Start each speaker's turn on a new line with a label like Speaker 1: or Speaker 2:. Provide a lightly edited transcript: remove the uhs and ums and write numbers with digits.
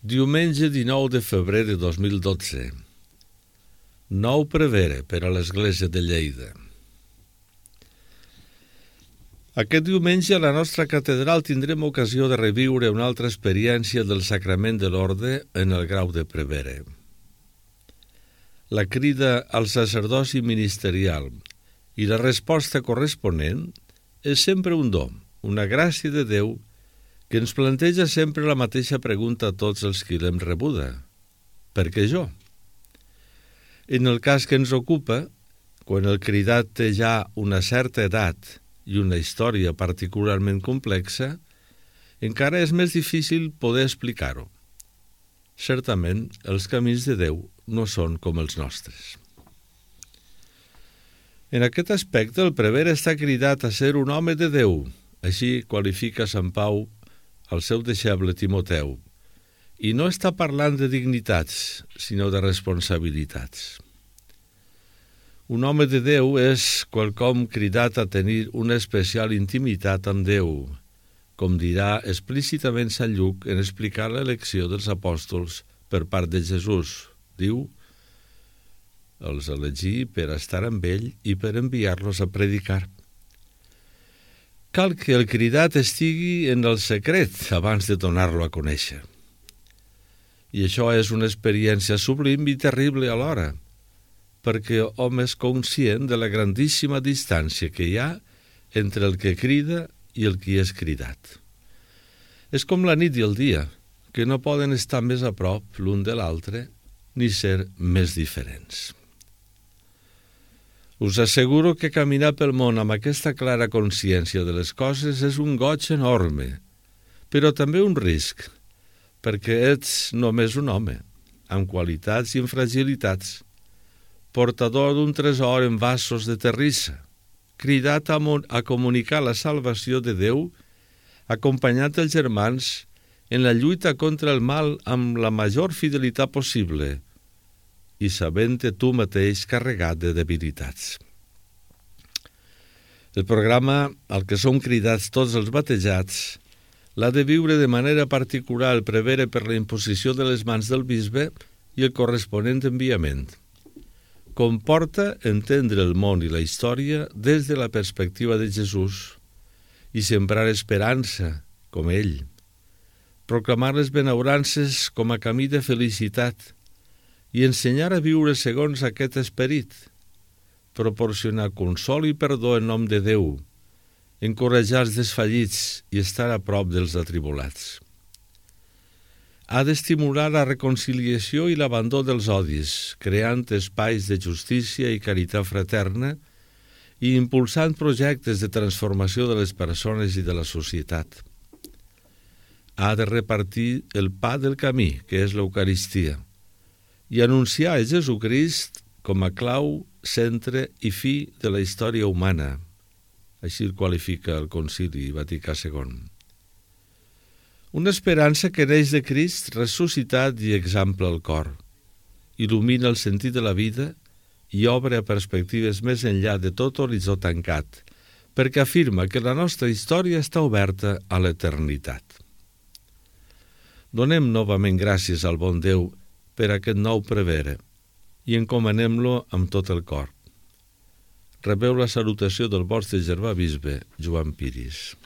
Speaker 1: Diumenge 19 de febrer de 2012. Nou prevere per a l'Església de Lleida. Aquest diumenge a la nostra catedral tindrem ocasió de reviure una altra experiència del sacrament de l'orde en el grau de prevere. La crida al sacerdoci ministerial i la resposta corresponent és sempre un do, una gràcia de Déu que ens planteja sempre la mateixa pregunta a tots els qui l'hem rebuda. Per què jo? En el cas que ens ocupa, quan el cridat té ja una certa edat i una història particularment complexa, encara és més difícil poder explicar-ho. Certament, els camins de Déu no són com els nostres. En aquest aspecte, el prevere està cridat a ser un home de Déu, així qualifica Sant Pau al seu deixeble Timoteu, i no està parlant de dignitats, sinó de responsabilitats. Un home de Déu és quelcom cridat a tenir una especial intimitat amb Déu, com dirà explícitament Sant Lluc en explicar l'elecció dels apòstols per part de Jesús. Diu: els elegí per estar amb ell i per enviar-los a predicar. Cal que el cridat estigui en el secret abans de donar-lo a conèixer. I això és una experiència sublim i terrible alhora, perquè hom és conscient de la grandíssima distància que hi ha entre el que crida i el qui és cridat. És com la nit i el dia, que no poden estar més a prop l'un de l'altre ni ser més diferents. Us asseguro que caminar pel món amb aquesta clara consciència de les coses és un goig enorme, però també un risc, perquè ets només un home, amb qualitats i amb fragilitats, portador d'un tresor en vasos de terrissa, cridat a comunicar la salvació de Déu, acompanyat dels germans en la lluita contra el mal amb la major fidelitat possible i sabent-te tu mateix carregat de debilitats. El programa al que som cridats tots els batejats l'ha de viure de manera particular el prevere per la imposició de les mans del bisbe i el corresponent enviament. Comporta entendre el món i la història des de la perspectiva de Jesús i sembrar esperança, com ell, proclamar les benaurances com a camí de felicitat i ensenyar a viure segons aquest esperit, proporcionar consol i perdó en nom de Déu, encoratjar els desfallits i estar a prop dels atribulats. Ha d'estimular la reconciliació i l'abandó dels odis, creant espais de justícia i caritat fraterna i impulsant projectes de transformació de les persones i de la societat. Ha de repartir el pa del camí, que és l'Eucaristia, i anunciar a Jesucrist com a clau, centre i fi de la història humana. Així el qualifica el Concili Vaticà II. Una esperança que neix de Crist ressuscitat i exampla el cor, il·lumina el sentit de la vida i obre a perspectives més enllà de tot horitzó tancat, perquè afirma que la nostra història està oberta a l'eternitat. Donem novament gràcies al bon Déu per aquest nou prevere i encomanem-lo amb tot el cor. Rebeu la salutació del vostre germà bisbe, Joan Piris.